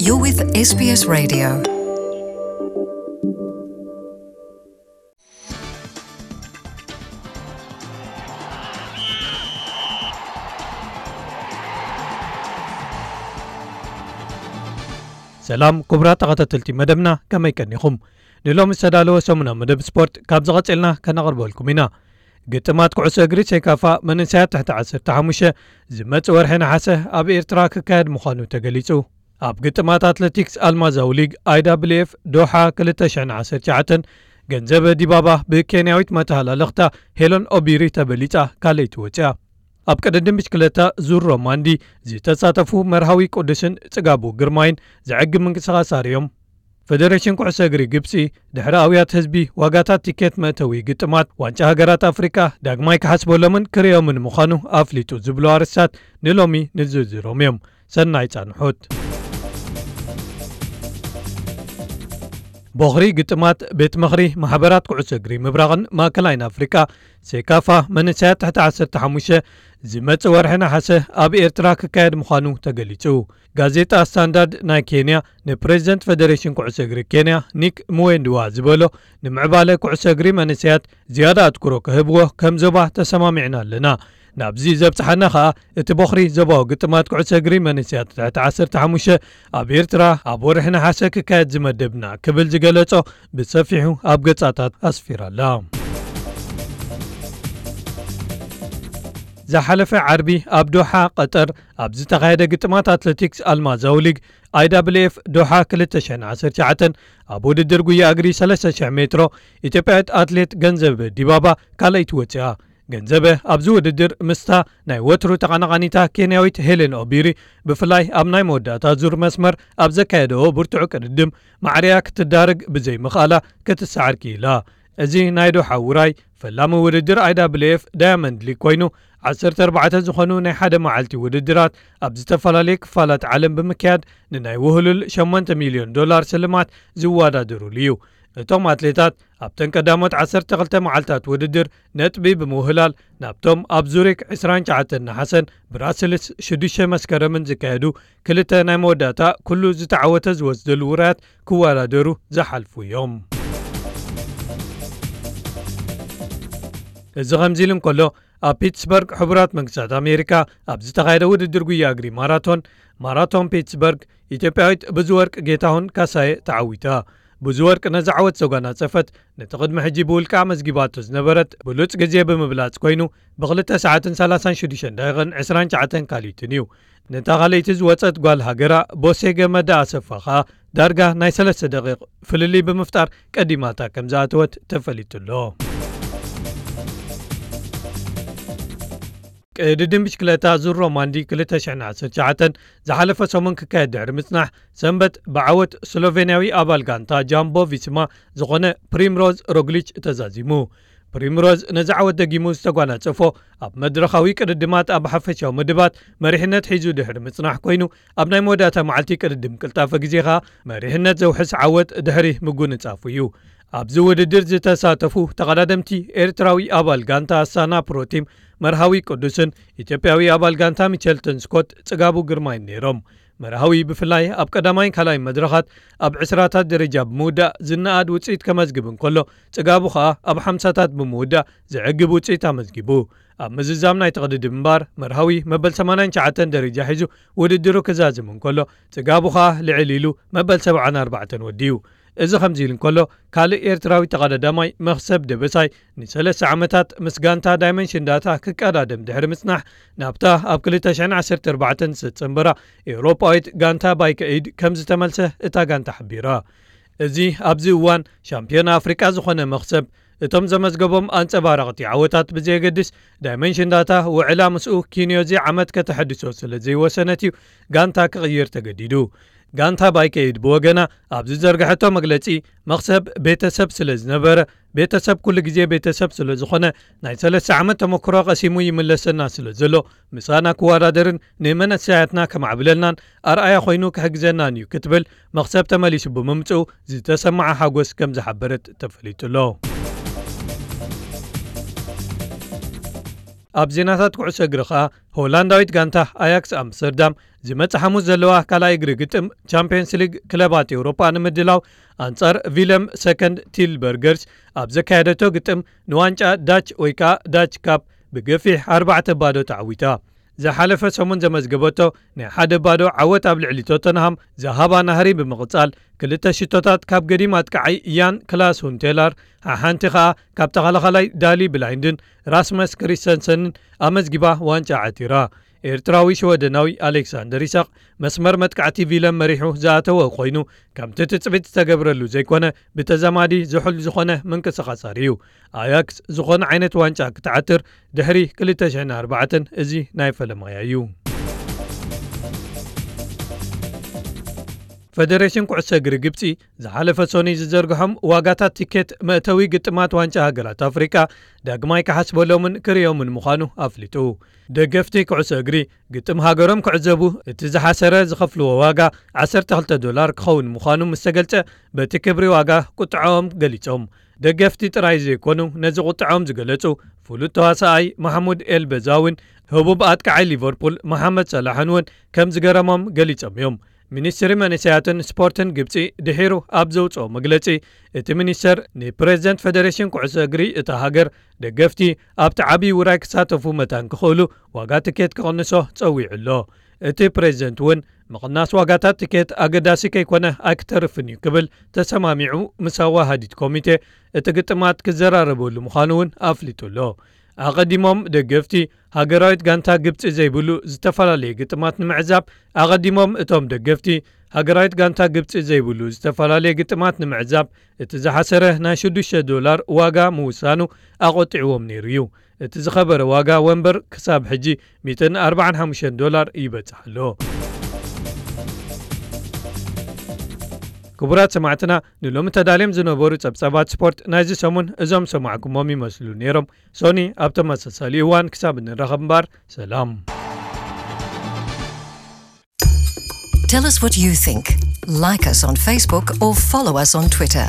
You're with S B S Radio. ሰላም ክቡራት ተኸታተልቲ መደብና፣ ከመይ ቀኒኹም? ንሎሚ ዝተዳለወ ሰሙናዊ መደብ ስፖርት ካብ ዝቐጽልና ከነቕርበልኩም ኢና። ግጥማት ኩዕሶ እግሪ ሴካፋ መንእሰያት ትሕቲ ዓሰርተ ሓሙሽተ ዝመጽእ ወርሒ ነሓሰ ኣብ ኤርትራ ክካየድ ምዃኑ ተገሊጹ። ኣብ ግጥማት ኣትሌቲክስ ኣልማዛዊ ሊግ፣ I W F፣ ዶሓ ክልተ ሽሕን ዓሰርተ ትሽዓተን፣ ገንዘበ ዲባባ ብኬንያዊት መተሃላለኽታ ሄለን ኦቢሪ ተበሊጻ ካልኣይቲ ወጽያ። ኣብ ቅድድም ብሽክለታ ዙር ሮማንዲ ዝተሳተፉ መርሃዊ ቅዱስን ጽጋቡ ግርማይን ዘዕግብ ምንቅስቓስ ኣርእዮም። ፈደሬሽን ኩዕሶ እግሪ ግብጺ፣ ድሕሪ ኣውያት ህዝቢ ዋጋታት ቲኬት መእተዊ ግጥማት ዋንጫ ሃገራት ኣፍሪቃ ዳግማይ ክሓስበሎምን ክርእዮምን ምዃኑ ኣፍሊጡ ዝብሉ ኣርእስታት ንሎሚ ንዝርዝሮም እዮም። ሰናይ ጻንሖት። ቦኽሪ ግጥማት ቤት ምኽሪ ማሕበራት ኩዕሶ እግሪ ምብራቕን ማእከላይን ኣፍሪቃ፣ ሴካፋ፣ መንእሰያት ትሕቲ ዓሰርተ ሓሙሽተ ዝመጽእ ወርሒ ነሓሰ ኣብ ኤርትራ ክካየድ ምዃኑ ተገሊጹ። ጋዜጣ ስታንዳርድ ናይ ኬንያ ንፕሬዚደንት ፈደሬሽን ኩዕሶ እግሪ ኬንያ ኒክ ሙዌንድዋ ዝበሎ፣ ንምዕባለ ኩዕሶ እግሪ መንእሰያት ዝያዳ ኣትኩሮ ክህብዎ ከም ዞባ ተሰማሚዕና ኣለና። ናብዚ ዘብጽሓና ኸኣ እቲ ቦኽሪ ዞባዊ ግጥማት ኩዕሶ እግሪ መንእሰያት ትሕቲ ዓሰርተ ሓሙሽተ ኣብ ኤርትራ ኣብ ወርሒ ነሓሰ ክካየድ ዝመደብና ክብል ዝገለጾ ብሰፊሑ ኣብ ገጻታት ኣስፊራ ኣላ። ዝሓለፈ ዓርቢ ኣብ ዶሓ ቀጠር ኣብ ዝተኻየደ ግጥማት ኣትሌቲክስ ኣልማዛዊ ሊግ፣ I W F፣ ዶሓ ክልተ ሽሕን ዓሰርተ ትሽዓተን፣ ኣብ ውድድር ጉያ እግሪ ሰለስተ ሽሕ ሜትሮ ኢትዮጵያዊት ኣትሌት ገንዘበ ዲባባ ካልኣይቲ ወጽያ። ገንዘበ ኣብዚ ውድድር ምስታ ናይ ወትሩ ተቐናቓኒታ ኬንያዊት ሄሌን ኦቢሪ ብፍላይ ኣብ ናይ መወዳእታ ዙር መስመር ኣብ ዘካየደኦ ብርቱዕ ቅድድም ማዕርያ ክትዳረግ ብዘይምኽኣላ ክትሰዓር ክኢላ። እዚ ናይ ዶሓ ውራይ ፈላሚ ውድድር I W F ዳያመንድ ሊግ ኮይኑ፣ ዓሰርተ ኣርባዕተ ዝኾኑ ናይ ሓደ መዓልቲ ውድድራት ኣብ ዝተፈላለየ ክፋላት ዓለም ብምክያድ ንናይ ውህሉል ሸሞንተ ሚልዮን ዶላር ስልማት ዝወዳደሩሉ እዩ። እቶም ኣትሌታት ኣብተን ቀዳሞት ዓሰርተ ክልተ መዓልታት ውድድር ነጥቢ ብምውህላል ናብቶም ኣብ ዙሪክ ዕስራን ትሽዓተን ነሓሰን ብራስልስ ሽዱሽተ መስከረምን ዝካየዱ ክልተ ናይ መወዳእታ ኩሉ ዝተዓወተ ዝወስደሉ ውራያት ክወዳደሩ ዝሓልፉ እዮም። እዚ ከምዚ ኢሉ እንከሎ፣ ኣብ ፒትስበርግ ሕቡራት መንግስታት ኣሜሪካ ኣብ ዝተኻየደ ውድድር ጉያ እግሪ ማራቶን፣ ማራቶን ፒትስበርግ፣ ኢትዮጵያዊት ብዙወርቅ ጌታሁን ካሳየ ተዓዊታ። ብዙወርቅ ነዚ ዓወት ዘጓናጸፈት፣ ነቲ ቅድሚ ሕጂ ብውልቃ ኣመዝጊባቶ ዝነበረት ብሉጽ ግዜ ብምብላጽ ኮይኑ፣ ብክልተ ሰዓትን ሰላሳን ሽዱሽተን ደቂቕን ዕስራን ትሽዓተን ካልኢትን እዩ። ነታ ካልኣይቲ ዝወጸት ጓል ሃገራ ቦሴ ገመዳ ኣሰፋ ኸኣ ዳርጋ ናይ ሰለስተ ደቂቕ ፍልልይ ብምፍጣር ቀዲማታ ከም ዝኣተወት ተፈሊጡ ኣሎ። ቅድድም ብሽክለታ ዙር ሮማንዲ ክልተ ሽሕን ዓሰርተ ትሽዓተን ዝሓለፈ ሰሙን ክካየድ ድሕሪ ምጽናሕ፣ ሰንበት ብዓወት ስሎቬንያዊ ኣባል ጋንታ ጃምቦ ቪስማ ዝኾነ ፕሪምሮዝ ሮግሊች ተዛዚሙ። ፕሪምሮዝ ነዚ ዓወት ደጊሙ ዝተጓናጸፎ ኣብ መድረኻዊ ቅድድማት ኣብ ሓፈሻዊ ምድባት መሪሕነት ሒዙ ድሕሪ ምጽናሕ ኮይኑ፣ ኣብ ናይ መወዳእታ መዓልቲ ቅድድም ቅልጣፈ ግዜ ኸኣ መሪሕነት ዘውሕስ ዓወት ድሕሪ ምጉንጻፉ እዩ። ኣብዚ ውድድር ዝተሳተፉ ተቐዳደምቲ ኤርትራዊ ኣባል ጋንታ ኣስታና ፕሮቲም መርሃዊ ቅዱስን ኢትዮጵያዊ ኣባል ጋንታ ሚቸልተን ስኮት ጽጋቡ ግርማይን ነይሮም። መርሃዊ ብፍላይ ኣብ ቀዳማይን ካልኣይን መድረኻት ኣብ ዕስራታት ደረጃ ብምውዳእ ዝነኣድ ውጽኢት ከመዝግብ እንከሎ፣ ጽጋቡ ኸኣ ኣብ ሓምሳታት ብምውዳእ ዘዕግብ ውጽኢት ኣመዝጊቡ። ኣብ ምዝዛም ናይ ተቕድድም እምባር መርሃዊ መበል ሰማንያን ትሽዓተን ደረጃ ሒዙ ውድድሩ ክዛዝም እንከሎ፣ ጽጋቡ ኸኣ ልዕል ኢሉ መበል ሰብዓን ኣርባዕተን ወዲኡ። እዚ ከምዚ ኢሉ እንከሎ፣ ካልእ ኤርትራዊ ተቐዳዳማይ መኽሰብ ደበሳይ ንሰለስተ ዓመታት ምስ ጋንታ ዳይመንሽን ዳታ ክቀዳደም ድሕሪ ምጽናሕ፣ ናብታ ኣብ ክልተ ሽሕን ዓሰርተ ኣርባዕተን ዝተጸንበራ ኤውሮጳዊት ጋንታ ባይከ ኤይድ ከም ዝተመልሰ እታ ጋንታ ሓቢራ። እዚ ኣብዚ እዋን ሻምፒዮን ኣፍሪቃ ዝኾነ መኽሰብ፣ እቶም ዘመዝገቦም ኣንጸባረቕቲ ዓወታት ብዘየገድስ፣ ዳይመንሽን ዳታ ውዕላ ምስኡ ኪንዮ እዚ ዓመት ከተሐድሶ ስለ ዘይወሰነት እዩ ጋንታ ክቕይር ተገዲዱ። ጋንታ ባይከ ኤይድ ብወገና ኣብ ዝዘርግሐቶ መግለጺ፣ መኽሰብ ቤተሰብ ስለ ዝነበረ፣ ቤተሰብ ኩሉ ግዜ ቤተሰብ ስለ ዝኾነ፣ ናይ ሰለስተ ዓመት ተመክሮ ቀሲሙ ይምለሰና ስለ ዘሎ፣ ምሳና ክወዳደርን ንመንእሰያትና ከማዕብለልናን ኣርኣያ ኮይኑ ክሕግዘናን እዩ ክትብል፣ መኽሰብ ተመሊሱ ብምምጽኡ ዝተሰምዓ ሓጎስ ከም ዝሓበረት ተፈሊጡ ኣሎ። ኣብ ዜናታት ኩዕሶ እግሪ ኸኣ፣ ሆላንዳዊት ጋንታ ኣያክስ ኣምስተርዳም ዝመጽእ ሓሙስ ዘለዋ ካልኣይ እግሪ ግጥም ቻምፒየንስ ሊግ ክለባት ኤውሮጳ ንምድላው ኣንጻር ቪለም ሰከንድ ቲልበርገርስ ኣብ ዘካየደቶ ግጥም ንዋንጫ ዳች ወይ ከኣ ዳች ካፕ ብገፊሕ ኣርባዕተ ባዶ ተዓዊታ። ዝሓለፈ ሰሙን ዘመዝገበቶ ናይ ሓደ ባዶ ዓወት ኣብ ልዕሊ ቶተንሃም ዝሃባ ናህሪ ብምቕጻል ክልተ ሽቶታት ካብ ገዲም ኣጥቃዓይ ያን ክላስ ሁንቴላር፣ ሓሓንቲ ከኣ ካብ ተኸላኻላይ ዳሊ ብላይንድን ራስመስ ክሪስተንሰንን ኣመዝጊባ ዋንጫ ዓቲራ። ኤርትራዊ ሽወደናዊ ኣሌክሳንደር ኢሳቕ መስመር መጥቃዕቲ ቪለም መሪሑ ዝኣተወ ኮይኑ፣ ከምቲ ትጽቢት ዝተገብረሉ ዘይኮነ ብተዛማዲ ዝሑል ዝኾነ ምንቅስቓስ ኣርእዩ። ኣያክስ ዝኾነ ዓይነት ዋንጫ ክትዓትር ድሕሪ ክልተ ሽሕን ኣርባዕተን እዚ ናይ ፈለማያ እዩ። ፈደሬሽን ኩዕሶ እግሪ ግብጺ ዝሓለፈ ሶኒ ዝዘርግሖም ዋጋታት ቲኬት መእተዊ ግጥማት ዋንጫ ሃገራት ኣፍሪቃ ዳግማይ ክሓስበሎምን ክርእዮምን ምዃኑ ኣፍሊጡ። ደገፍቲ ኩዕሶ እግሪ ግጥም ሃገሮም ክዕዘቡ እቲ ዝሓሰረ ዝኸፍልዎ ዋጋ ዓሰርተ ክልተ ዶላር ክኸውን ምዃኑ ምስ ተገልጸ፣ በቲ ክብሪ ዋጋ ቁጥዐኦም ገሊጾም። ደገፍቲ ጥራይ ዘይኮኑ ነዚ ቁጥዐኦም ዝገለጹ ፍሉጥ ተዋሳኣይ ማሕሙድ ኤል በዛዊን ህቡብ ኣጥቃዓይ ሊቨርፑል መሓመድ ሰላሕን እውን ከም ዝገረሞም ገሊጾም እዮም። ሚኒስትሪ መንእሰያትን ስፖርትን ግብጺ ድሒሩ ኣብ ዘውጽኦ መግለጺ፣ እቲ ሚኒስተር ንፕሬዝደንት ፈደሬሽን ኩዕሶ እግሪ እታ ሃገር ደገፍቲ ኣብቲ ዓብዪ ውራይ ክሳተፉ መታን ክኽእሉ ዋጋ ትኬት ክቕንሶ ጸዊዑ ኣሎ። እቲ ፕሬዝደንት እውን ምቕናስ ዋጋታት ትኬት ኣገዳሲ ከይኮነ ኣይክተርፍን እዩ ክብል ተሰማሚዑ ምስ ኣዋሃዲት ኮሚቴ እቲ ግጥማት ክዘራረበሉ ምዃኑ እውን ኣፍሊጡ ኣሎ። ኣቐዲሞም ደገፍቲ ሃገራዊት ጋንታ ግብጺ ዘይብሉ ዝተፈላለየ ግጥማት ንምዕዛብ ኣቐዲሞም እቶም ደገፍቲ ሃገራዊት ጋንታ ግብጺ ዘይብሉ ዝተፈላለየ ግጥማት ንምዕዛብ እቲ ዝሓሰረ ናይ ሽዱሽተ ዶላር ዋጋ ምውሳኑ ኣቖጢዕዎም ነይሩ እዩ። እቲ ዝኸበረ ዋጋ ወንበር ክሳብ ሕጂ ሚእትን ኣርባዓን ሓሙሽተን ዶላር ይበጽሕ ኣሎ። ክቡራት ሰማዕትና፣ ንሎሚ ተዳልዮም ዝነበሩ ጸብጻባት ስፖርት ናይዚ ሰሙን እዞም ሰማዕኩሞም ይመስሉ ነይሮም። ሶኒ ኣብ ተመሳሳሊ እዋን ክሳብ እንራኸብ እምበር ሰላም። Tell us what you think. Like us on Facebook or follow us on Twitter.